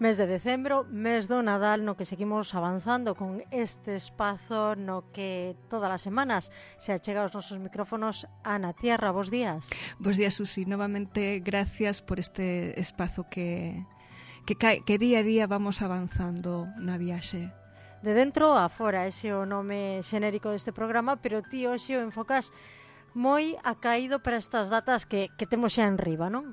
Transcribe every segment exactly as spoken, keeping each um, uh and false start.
Mes de decembro, mes do Nadal, no que seguimos avanzando con este espazo no que todas as semanas se achega aos nosos micrófonos Ana Tierra. Bos días. Bos días, Susi. Novamente, gracias por este espazo que, que, que día a día vamos avanzando na viaxe. De dentro a fora, ese é o nome xenérico deste programa, pero ti hoxe o enfocas moi acaído para estas datas que, que temos xa en riba, non?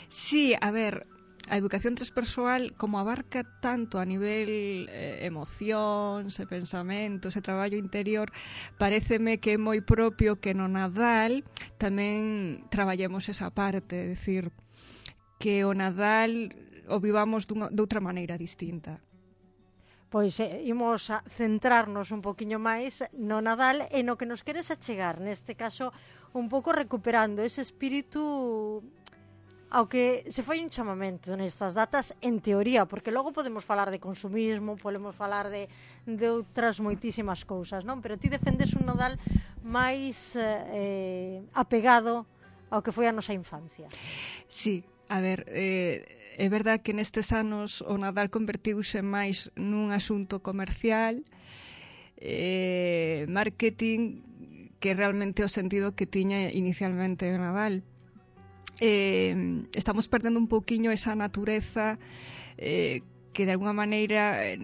Sí, a ver, a educación transpersoal, como abarca tanto a nivel eh, emocións e pensamentos e traballo interior, paréceme que é moi propio que no Nadal tamén traballemos esa parte, é dicir, que o Nadal o vivamos dunha, de outra maneira distinta. Pois eh, imos a centrarnos un poquinho máis no Nadal e no que nos queres achegar, neste caso un pouco recuperando ese espírito ao que se fai un chamamento nestas datas en teoría, porque logo podemos falar de consumismo, podemos falar de, de outras moitísimas cousas, non? Pero ti defendes un Nadal máis eh, apegado ao que foi a nosa infancia. Sí, a ver, eh, é verdad que nestes anos o Nadal convertiuse máis nun asunto comercial, eh, marketing, que realmente o sentido que tiña inicialmente o Nadal. Eh, estamos perdendo un pouquiño esa natureza eh, que de alguna maneira eh,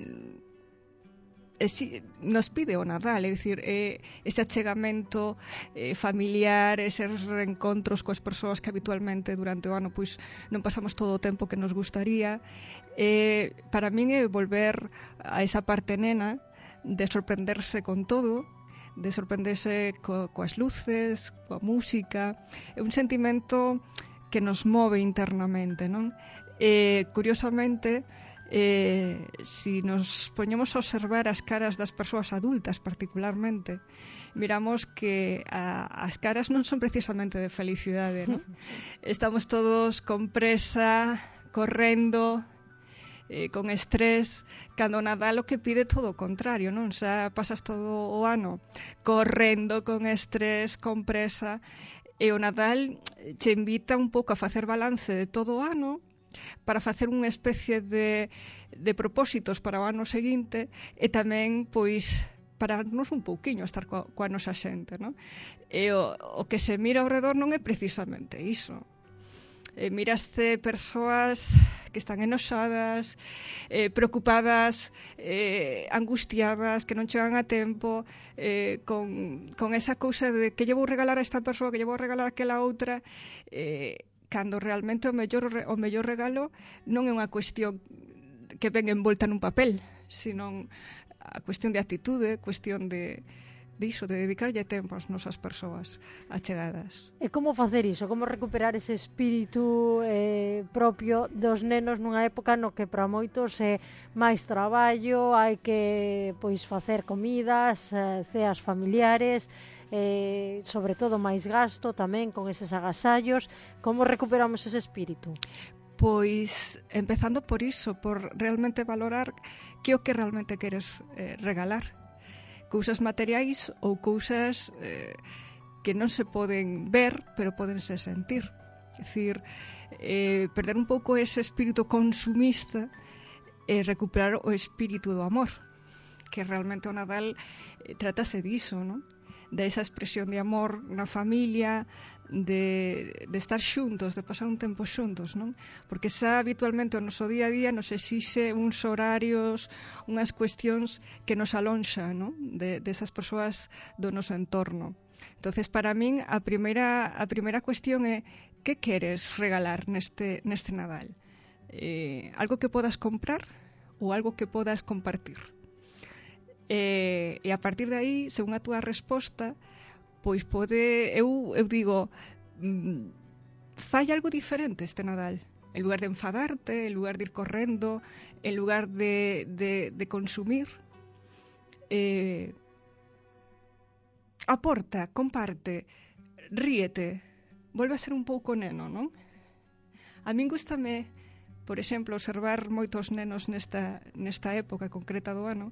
eh, nos pide o Nadal, é dicir, eh, ese achegamento eh, familiar, eses reencontros coas persoas que habitualmente durante o ano pois non pasamos todo o tempo que nos gustaría. Eh, para min é volver a esa parte nena de sorprenderse con todo, de sorprenderse co, coas luces, coa música. É un sentimento que nos move internamente, non? Eh, curiosamente, eh, si nos poñemos a observar as caras das persoas adultas particularmente, miramos que a, as caras non son precisamente de felicidade, non? Estamos todos con presa, correndo, eh, con estrés, cando Nadal o que pide todo o contrario, non? Xa pasas todo o ano correndo, con estrés, con presa, e o Nadal che invita un pouco a facer balance de todo o ano, para facer unha especie de, de propósitos para o ano seguinte e tamén, pois, pararnos un pouquiño a estar coa, coa nosa xente, non? E o, o que se mira ao redor non é precisamente iso. Eh, miraste persoas que están enoxadas, eh, preocupadas, eh, angustiadas, que non chegan a tempo, eh, con, con esa cousa de que lle vou regalar a esta persoa, que lle vou regalar a aquela outra, eh, cando realmente o mellor, o mellor regalo non é unha cuestión que ven envolta nun papel, sino a cuestión de actitude, cuestión de, de iso, de dedicarlle tempo ás nosas persoas achegadas. E como facer iso? Como recuperar ese espírito eh, propio dos nenos nunha época no que para moitos é máis traballo, hai que pois facer comidas, eh, ceas familiares, eh, sobre todo máis gasto tamén con eses agasallos. Como recuperamos ese espírito? Pois empezando por iso, por realmente valorar que o que realmente queres eh, regalar. Cousas materiais ou cousas eh, que non se poden ver, pero podense sentir. É dicir, eh, perder un pouco ese espírito consumista e recuperar o espírito do amor, que realmente o Nadal eh, trátase diso, non? De esa expresión de amor na familia, de, de estar xuntos, de pasar un tempo xuntos, non? Porque xa habitualmente o noso día a día nos exixe uns horarios, unhas cuestións que nos alonxa, non? De, de esas persoas do noso entorno. Entonces, para min, a primeira, a primeira cuestión é que queres regalar neste, neste Nadal? Eh, algo que podas comprar ou algo que podas compartir? E, e a partir de aí, según a túa resposta, pois pode, eu, eu digo, mmm, fai algo diferente este Nadal. En lugar de enfadarte, en lugar de ir correndo, en lugar de, de, de consumir, eh, aporta, comparte, ríete, volve a ser un pouco neno, non? A min gústame, por exemplo, observar moitos nenos nesta, nesta época concreta do ano,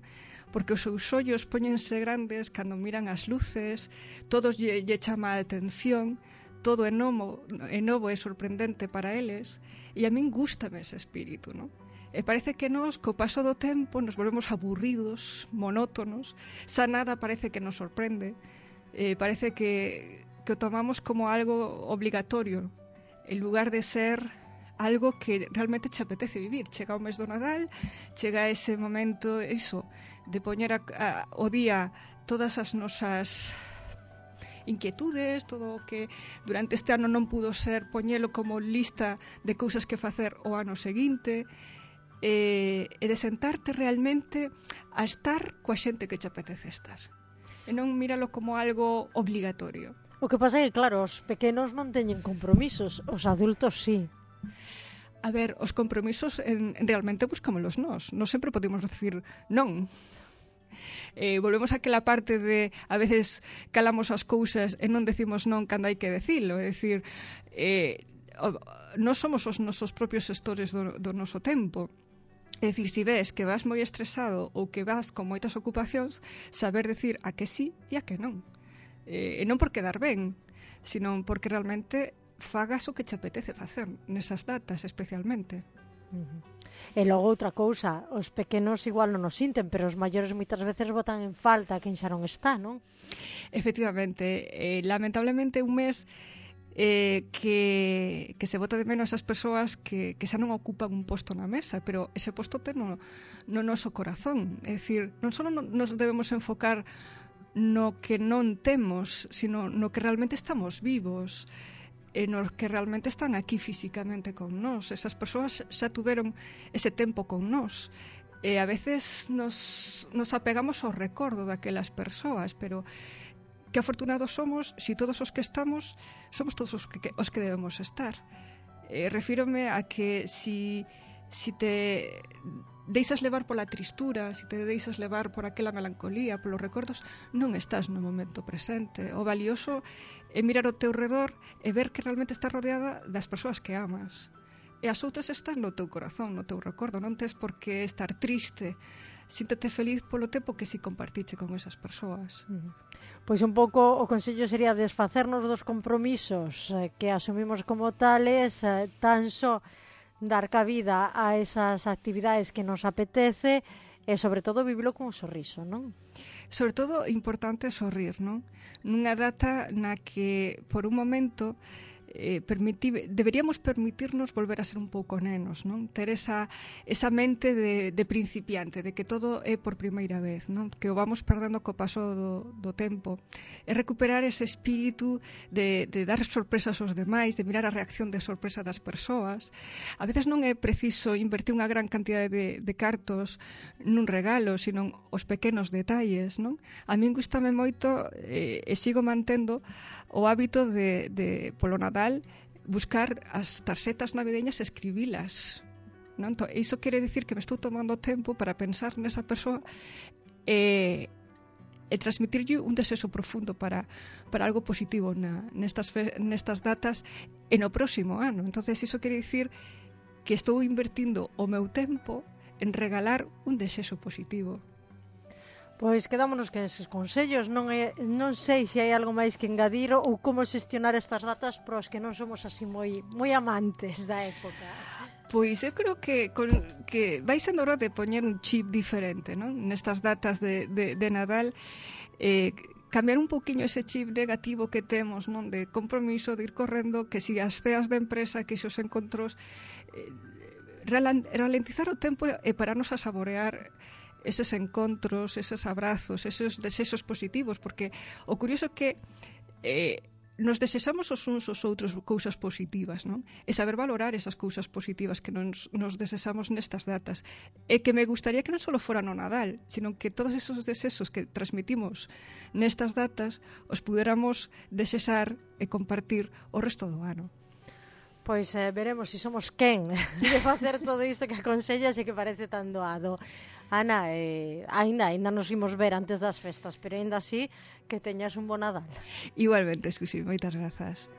porque os seus ollos póñense grandes cando miran as luces, todos lle, lle chama a atención, todo é novo, é novo e sorprendente para eles, e a min gústame ese espírito, non? E parece que nós, co paso do tempo, nos volvemos aburridos, monótonos, xa nada parece que nos sorprende, eh, parece que, que o tomamos como algo obligatorio, en lugar de ser algo que realmente te apetece vivir. Chega o mes do Nadal, chega ese momento, iso, de poñer a, a, o día todas as nosas inquietudes, todo o que durante este ano non pudo ser, poñelo como lista de cousas que facer o ano seguinte, e, e de sentarte realmente a estar coa xente que te apetece estar. E non míralo como algo obligatorio. O que pasa é que, claro, os pequenos non teñen compromisos, os adultos sí. A ver, os compromisos en, realmente buscámolos nós. Non sempre podemos decir non. Eh, volvemos a aquela parte de a veces calamos as cousas e non decimos non cando hai que decilo, é dicir, eh, non somos os nosos propios xestores do, do noso tempo. É dicir, se ves que vas moi estresado ou que vas con moitas ocupacións, saber decir a que sí e a que non. E non por quedar ben, sino porque realmente fagas o que te apetece facer nesas datas especialmente. Uh-huh. E logo outra cousa, os pequenos igual non nos sinten, pero os maiores moitas veces botan en falta quen xa non está, non? Efectivamente, eh, lamentablemente un mes eh, que, que se bota de menos as persoas que, que xa non ocupan un posto na mesa, pero ese posto ten no, no noso corazón. É dicir, non só nos debemos enfocar no que non temos, sino no que realmente estamos vivos, e nos que realmente están aquí físicamente con nós. Esas persoas xa tuveron ese tempo con nós. E a veces nos, nos apegamos ao recordo daquelas persoas, pero que afortunados somos si todos os que estamos somos todos os que, os que debemos estar. E refírome a que si, si te deixas levar pola tristura, si te deixas levar por aquela melancolía, polos recordos, non estás no momento presente. O valioso é mirar ao teu redor e ver que realmente estás rodeada das persoas que amas. E as outras están no teu corazón, no teu recordo. Non tes por que estar triste. Síntete feliz polo tempo que si compartiche con esas persoas. Uh-huh. Pois un pouco o consello sería desfacernos dos compromisos eh, que asumimos como tales, eh, tan só dar cabida a esas actividades que nos apetece e, sobre todo, vivilo con un sorriso, non? Sobre todo, importante sorrir, non? Nunha data na que, por un momento, eh, permiti, deberíamos permitirnos volver a ser un pouco nenos, non? Ter esa, esa mente de, de principiante, de que todo é por primeira vez, non? Que o vamos perdendo co paso do, do tempo. É recuperar ese espírito de, de dar sorpresas aos demais, de mirar a reacción de sorpresa das persoas. A veces non é preciso invertir unha gran cantidade de, de cartos nun regalo, sino os pequenos detalles, non? A min gustame moito eh, e sigo mantendo o hábito de, de polo Nadal buscar as tarxetas navideñas e escribilas, non? Entón, iso quere dicir que me estou tomando tempo para pensar nesa persoa e, e transmitirlle un desexo profundo para, para algo positivo na, nestas, nestas datas e no próximo ano. Entonces iso quere dicir que estou invertindo o meu tempo en regalar un desexo positivo. Pois quedámonos con eses consellos. Non, é, non sei se hai algo máis que engadir ou como xestionar estas datas para os que non somos así moi, moi amantes da época. Pois eu creo que, con, que vai sendo hora de poñer un chip diferente, non? Nestas datas de, de, de Nadal, eh, cambiar un poquinho ese chip negativo que temos, non? De compromiso, de ir correndo, que si as ceas de empresa, que si os encontros, eh, ralentizar o tempo e pararnos a saborear eses encontros, eses abrazos, eses desexos positivos, porque o curioso é que eh, nos desexamos os uns os outros cousas positivas, non? E saber valorar esas cousas positivas que nos, nos desexamos nestas datas. E que me gustaría que non só fora no Nadal, sino que todos esos desexos que transmitimos nestas datas os puderamos desexar e compartir o resto do ano. Pois eh, veremos se si somos quen de facer todo isto que aconsellas e que parece tan doado. Ana, eh, ainda, ainda nos imos ver antes das festas, pero ainda así que teñas un bo Nadal. Igualmente, Susi, moitas grazas.